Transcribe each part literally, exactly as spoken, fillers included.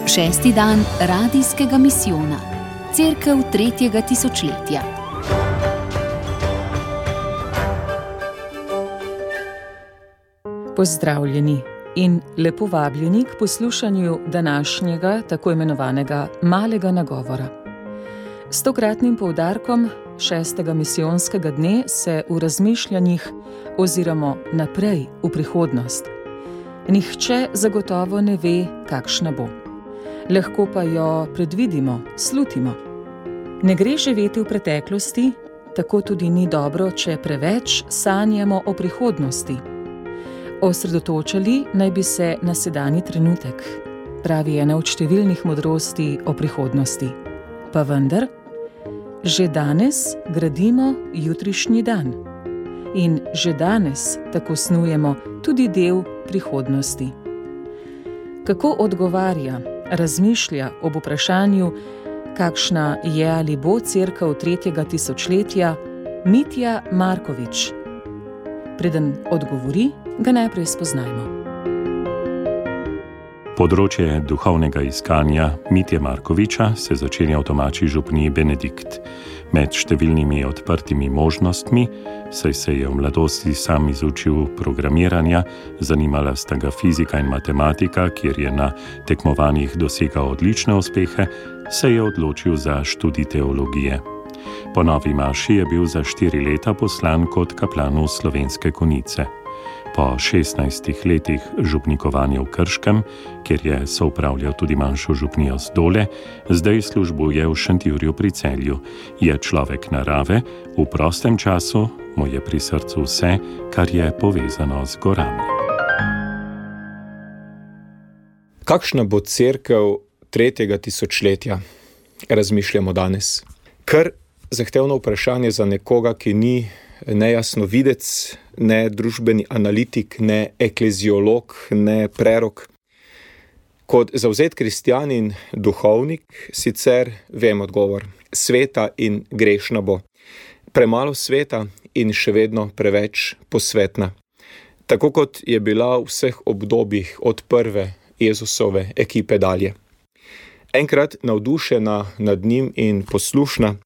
Šesti dan radijskega misijona. Cerkev tretjega tisočletja. Pozdravljeni in lepo vabljeni k poslušanju današnjega tako imenovanega malega nagovora. S tokratnim poudarkom šestega misijonskega dne se v razmišljanjih oziramo naprej v prihodnost. Nihče zagotovo ne ve, kakšna bo. Lahko pa jo predvidimo, slutimo. Ne gre živeti v preteklosti, tako tudi ni dobro, če preveč sanjamo o prihodnosti. Osredotočali naj bi se na sedanji trenutek, pravi ena od številnih modrosti o prihodnosti. Pa vendar, že danes gradimo jutrišnji dan. In že danes tako snujemo tudi del prihodnosti. Kako odgovarja, razmišlja ob vprašanju, kakšna je ali bo cerkev tretjega tisočletja, Mitja Markovič? Preden odgovori, ga najprej spoznajmo. Področje duhovnega iskanja Mitje Markoviča se začenja v domači župniji Benedikt. Med številnimi odprtimi možnostmi, saj se je v mladosti sam izučil programiranja, zanimala sta ga fizika in matematika, kjer je na tekmovanjih dosegal odlične uspehe, se je odločil za študij teologije. Po novi maši je bil za štiri leta poslan kot kaplan v Slovenske Konjice. Po šestnajstih letih župnikovanja v Krškem, kjer je soupravljal tudi manjšo župnijo Zdole, zdaj službuje v Šentjurju pri Celju. Je človek narave, v prostem času mu je pri srcu vse, kar je povezano z gorami. Kakšna bo cerkev tretjega tisočletja? Razmišljamo danes. Kar zahtevno vprašanje za nekoga, ki ni ne jasnovidec, ne družbeni analitik, ne ekleziolog, ne prerok. Kot zavzet kristjan in duhovnik sicer vem odgovor. Sveta in grešna bo. Premalo sveta in še vedno preveč posvetna. Tako kot je bila v vseh obdobjih od prve Jezusove ekipe dalje. Enkrat navdušena nad njim in poslušna,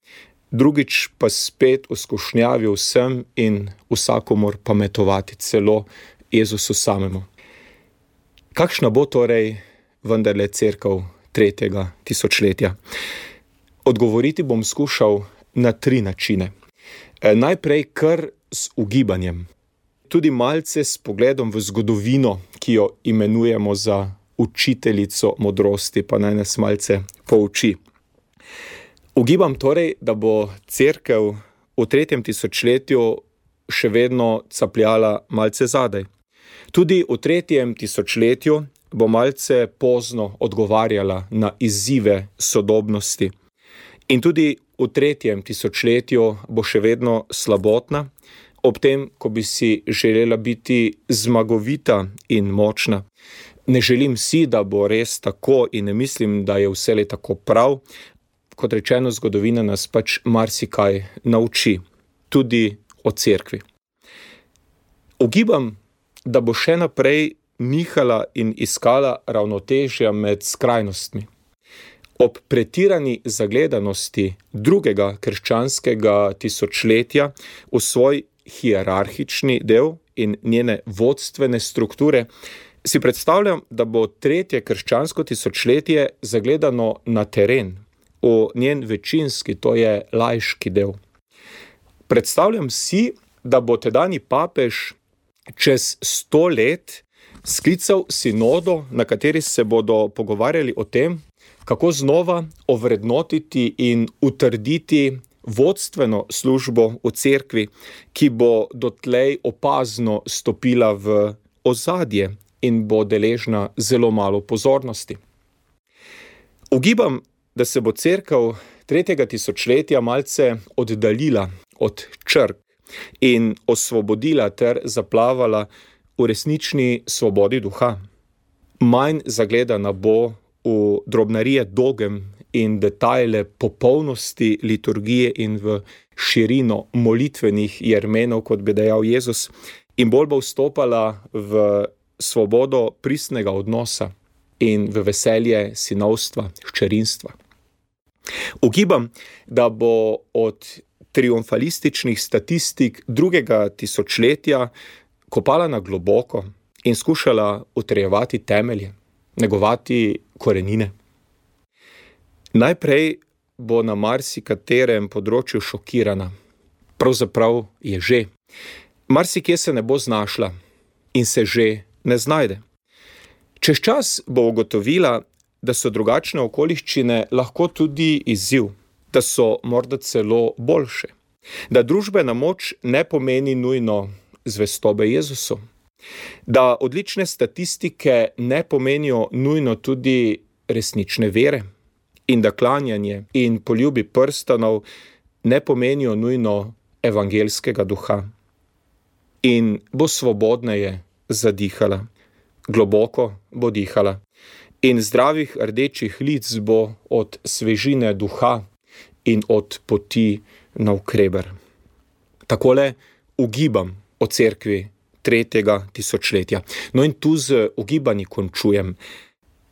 drugič pa spet v skušnjavi vsem in vsakomur pametovati, celo Jezusu samemu. Kakšna bo torej vendarle cerkev tretjega tisočletja? Odgovoriti bom skušal na tri načine. Najprej kar s ugibanjem. Tudi malce s pogledom v zgodovino, ki jo imenujemo za učiteljico modrosti, pa naj nas malce pouči. Ugibam torej, da bo cerkev v tretjem tisočletju še vedno capljala malce zadaj. Tudi v tretjem tisočletju bo malce pozno odgovarjala na izzive sodobnosti. In tudi v tretjem tisočletju bo še vedno slabotna, ob tem, ko bi si želela biti zmagovita in močna. Ne želim si, da bo res tako in ne mislim, da je vselej tako prav. Kot rečeno, zgodovina nas pač marsikaj nauči, tudi o cerkvi. Ugibam, da bo še naprej nihala in iskala ravnotežja med skrajnostmi. Ob pretirani zagledanosti drugega krščanskega tisočletja v svoj hierarhični del in njene vodstvene strukture, si predstavljam, da bo tretje krščansko tisočletje zagledano na teren, v njen večinski, to je laiški del. Predstavljam si, da bo tedanji papež čez sto let sklical sinodo, na kateri se bodo pogovarjali o tem, kako znova ovrednotiti in utrditi vodstveno službo v cerkvi, ki bo dotlej opazno stopila v ozadje in bo deležna zelo malo pozornosti. Ugibam, da se bo cerkev tretjega tisočletja malce oddaljila od črk in osvobodila ter zaplavala v resnični svobodi duha. Manj zagledana bo v drobnarije dogem in detajle popolnosti liturgije in v širino molitvenih jermenov, kot bi dejal Jezus, in bolj bo vstopala v svobodo pristnega odnosa in v veselje sinovstva, hčerinstva. Ugibam, da bo od triumfalističnih statistik drugega tisočletja kopala na globoko in skušala utrjevati temelje, negovati korenine. Najprej bo na marsikaterem področju šokirana. Pravzaprav je že. Marsikje se ne bo znašla in se že ne znajde. Čez čas bo ugotovila, da so drugačne okoliščine lahko tudi izziv, da so morda celo boljše, da družbena moč ne pomeni nujno zvestobe Jezusu, da odlične statistike ne pomenijo nujno tudi resnične vere in da klanjanje in poljubi prstanov ne pomenijo nujno evangelskega duha. In bo svobodneje zadihala, globoko bo dihala in zdravih rdečih lic bo od svežine duha in od poti navkreber. Takole ugibam o cerkvi tretjega tisočletja. No in tu z ugibanji končujem.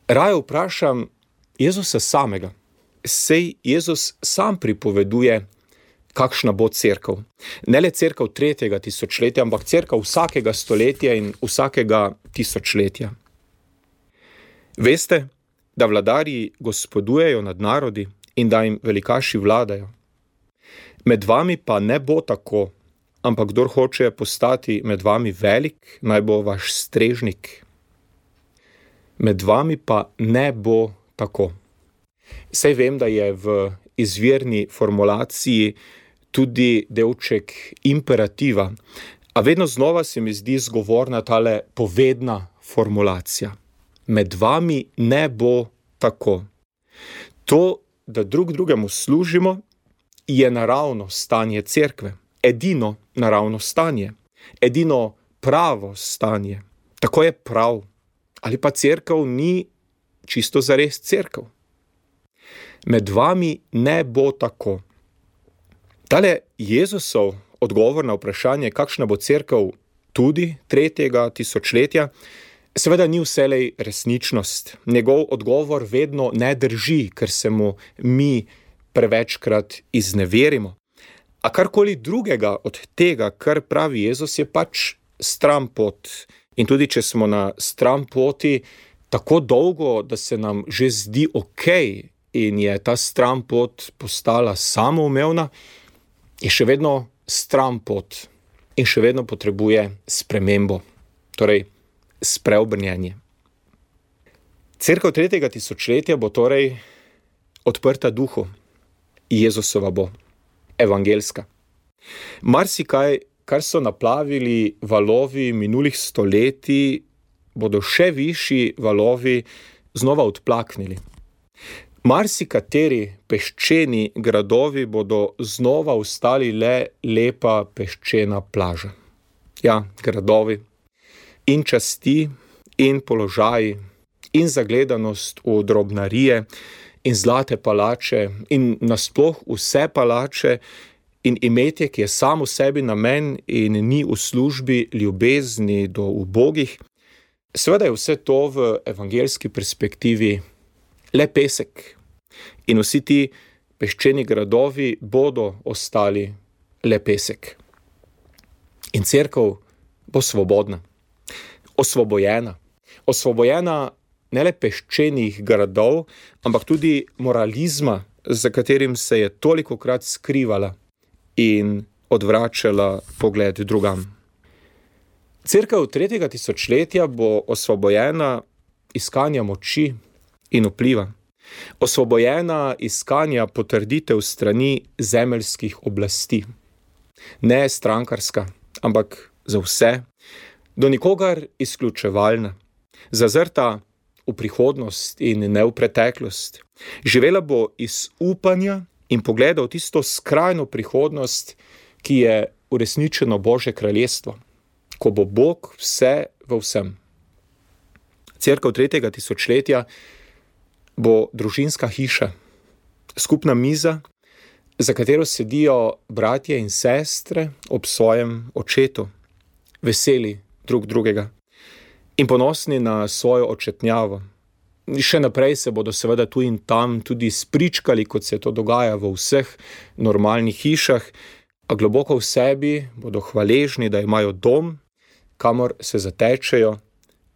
Raje vprašam Jezusa samega. Sej Jezus sam pripoveduje, kakšna bo cerkev. Ne le cerkev tretjega tisočletja, ampak cerkev vsakega stoletja in vsakega tisočletja. Veste, da vladarji gospodujejo nad narodi in da jim velikaši vladajo. Med vami pa ne bo tako, ampak kdor hoče postati med vami velik, naj bo vaš strežnik. Med vami pa ne bo tako. Saj vem, da je v izvirni formulaciji tudi delček imperativa, a vedno znova se mi zdi zgovorna tale povedna formulacija. Med vami ne bo tako. To, da drug drugemu služimo, je naravno stanje cerkve. Edino naravno stanje. Edino pravo stanje. Tako je prav. Ali pa cerkev ni čisto zares cerkev. Med vami ne bo tako. Tale Jezusov odgovor na vprašanje, kakšna bo cerkev tudi tretjega tisočletja, seveda ni vselej resničnost. Njegov odgovor vedno ne drži, ker se mu mi prevečkrat izneverimo. A karkoli drugega od tega, kar pravi Jezus, je pač stranpot. In tudi če smo na stranpoti tako dolgo, da se nam že zdi okej in je ta stranpot postala samoumevna, je še vedno stranpot in še vedno potrebuje spremembo, torej spreobrnjenje. Cerkev tretjega tisočletja bo torej odprta duhu. Jezusova bo, evangelska. Marsikaj, kar so naplavili valovi minulih stoletij, bodo še višji valovi znova odplaknili. Marsikateri peščeni gradovi bodo znova ostali le lepa peščena plaža. Ja, gradovi. In časti, in položaji, in zagledanost v drobnarije, in zlate palače, in nasploh vse palače, in imetje, ki je samo sebi namen in ni v službi ljubezni do ubogih. Seveda je vse to v evangelski perspektivi le pesek. In vsi ti peščeni gradovi bodo ostali le pesek. In cerkev bo svobodna, osvobojena. Osvobojena ne le peščenih gradov, ampak tudi moralizma, za katerim se je tolikokrat skrivala in odvračala pogled drugam. Cerkev tretjega tisočletja bo osvobojena iskanja moči in vpliva. Osvobojena iskanja potrditev strani zemeljskih oblasti. Ne strankarska, ampak za vse, do nikogar izključevalna, zazrta v prihodnost in ne v preteklost. Živela bo iz upanja in pogleda v tisto skrajno prihodnost, ki je uresničeno Božje kraljestvo, ko bo Bog vse v vsem. Cerkev tretjega tisočletja bo družinska hiša, skupna miza, za katero sedijo bratje in sestre ob svojem očetu, veseli drug drugega in ponosni na svojo očetnjavo, Še naprej se bodo seveda tu in tam tudi spričkali, kot se to dogaja v vseh normalnih hišah, a globoko v sebi bodo hvaležni, da imajo dom, kamor se zatečejo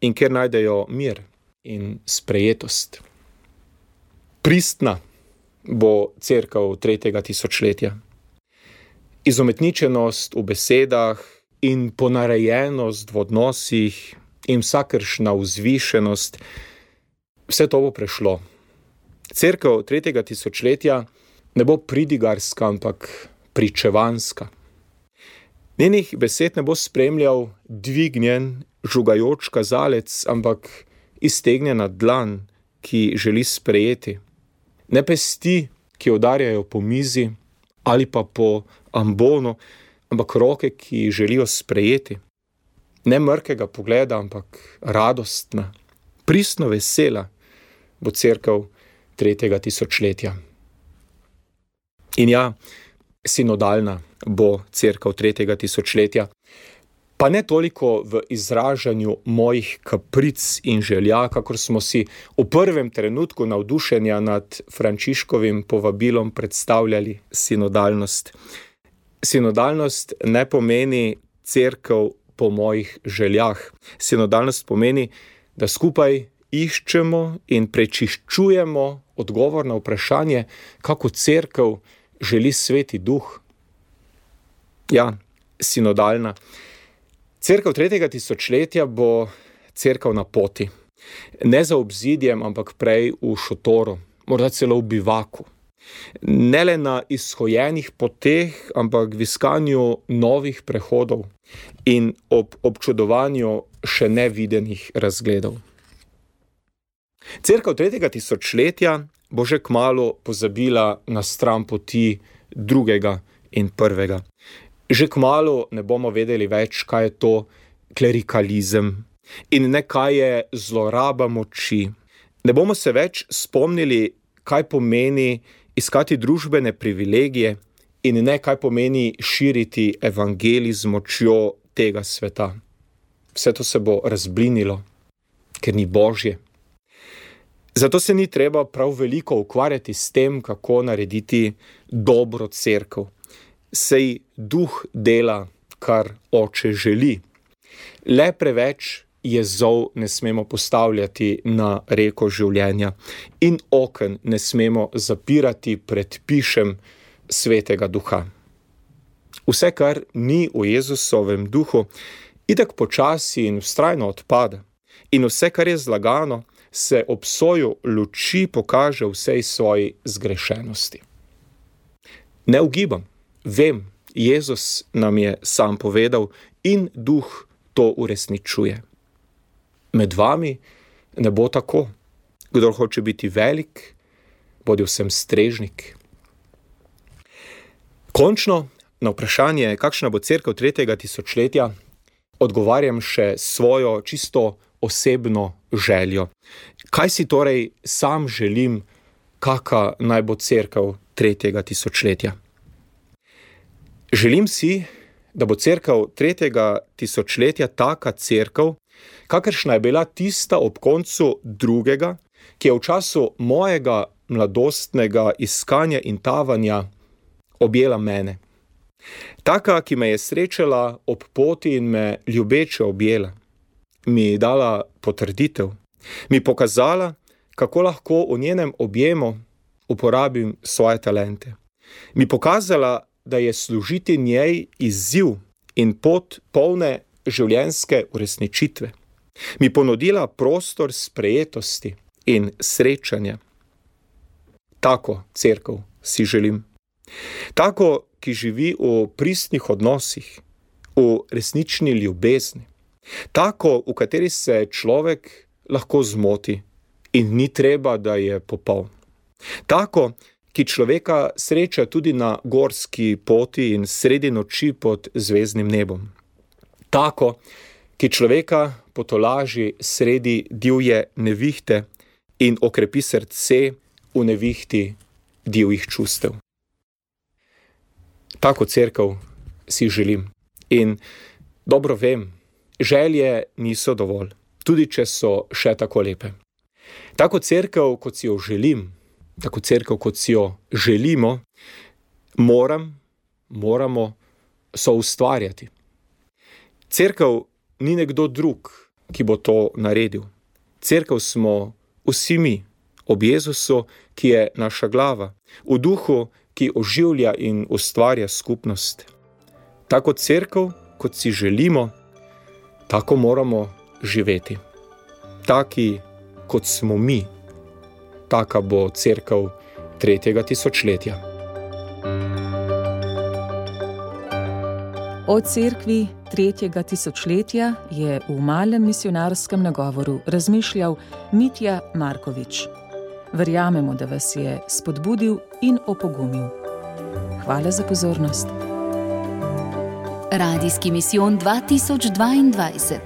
in kjer najdejo mir in sprejetost. Pristna bo cerkev tretjega tisočletja. Izumetničenost v besedah in ponarejenost v odnosih in vsakršna vzvišenost, vse to bo prešlo. Cerkev tretjega tisočletja ne bo pridigarska, ampak pričevanska. Njenih besed ne bo spremljal dvignjen, žugajoč kazalec, ampak iztegnjena dlan, ki želi sprejeti. Ne pesti, ki udarjajo po mizi ali pa po ambonu, ampak roke, ki želijo sprejeti. Ne mrkega pogleda, ampak radostna, pristno vesela bo cerkev tretjega tisočletja. In ja, sinodalna bo cerkev tretjega tisočletja, pa ne toliko v izražanju mojih kapric in želja, kakor smo si v prvem trenutku navdušenja nad Frančiškovim povabilom predstavljali sinodalnost. Sinodalnost ne pomeni cerkev po mojih željah. Sinodalnost pomeni, da skupaj iščemo in prečiščujemo odgovor na vprašanje, kako cerkev želi Sveti Duh. Ja, sinodalna. Cerkev tretjega tisočletja bo cerkev na poti. Ne za obzidjem, ampak prej v šotoru, morda celo v bivaku. Ne le na izhojenih poteh, ampak v iskanju novih prehodov in ob občudovanju še nevidenih razgledov. Cerkev tretjega tisočletja bo že kmalu pozabila na stran poti drugega in prvega. Že kmalu ne bomo vedeli več, kaj je to klerikalizem in ne kaj je zloraba moči. Ne bomo se več spomnili, kaj pomeni iskati družbene privilegije in ne kaj pomeni širiti evangelij z močjo tega sveta. Vse to se bo razblinilo, ker ni božje. Zato se ni treba prav veliko ukvarjati s tem, kako narediti dobro cerkev. Sej Duh dela, kar Oče želi. Le preveč jezov ne smemo postavljati na reko življenja in oken ne smemo zapirati pred pišem Svetega Duha. Vse, kar ni v Jezusovem duhu, itak počasi in vztrajno odpada. In vse, kar je zlagano, se ob soju luči pokaže vsej svoji zgrešenosti. Ne ugibam, vem, Jezus nam je sam povedal in Duh to uresničuje. Med vami ne bo tako. Kdor hoče biti velik, bodi vsem strežnik. Končno, na vprašanje, kakšna bo cerkev tretjega tisočletja, odgovarjam še svojo čisto osebno željo. Kaj si torej sam želim, kaka naj bo cerkev tretjega tisočletja? Želim si, da bo cerkev tretjega tisočletja taka cerkev, kakršna je bila tista ob koncu drugega, ki je v času mojega mladostnega iskanja in tavanja objela mene. Taka, ki me je srečala ob poti in me ljubeče objela. Mi dala potrditev, mi pokazala, kako lahko v njenem objemu uporabim svoje talente. Mi pokazala, da je služiti njej izziv in pot polne življenjske uresničitve. Mi ponudila prostor sprejetosti in srečanja. Tako cerkev si želim. Tako, ki živi v pristnih odnosih, v resnični ljubezni. Tako, v kateri se človek lahko zmoti in ni treba, da je popoln. Tako, ki človeka sreča tudi na gorski poti in sredi noči pod zvezdnim nebom. Tako, ki človeka potolaži sredi divje nevihte in okrepi srce v nevihti divjih čustev. Tako cerkev si želim in dobro vem, želje niso dovolj, tudi če so še tako lepe. Tako cerkev, kot si jo želim, tako cerkev, kot si jo želimo, moram, moramo soustvarjati. Cerkev ni nekdo drug, ki bo to naredil. Cerkev smo vsi mi, ob Jezusu, ki je naša glava, v duhu, ki oživlja in ustvarja skupnost. Tako cerkev, kot si želimo, tako moramo živeti. Taki, kot smo mi, taka bo cerkev tretjega tisočletja. O cerkvi tretjega tisočletja je v malem misijonarskem nagovoru razmišljal Mitja Markovič. Verjamemo, da vas je spodbudil in opogumil. Hvala za pozornost. Radijski misijon dva tisoč dvaindvajset.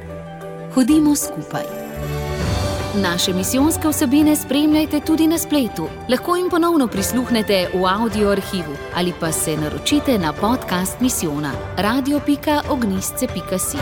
Hodimo skupaj. Naše misijonske vsebine spremljajte tudi na spletu. Lahko jim ponovno prisluhnete v audio arhivu ali pa se naročite na podcast misijona radio pika ognjišče pika si.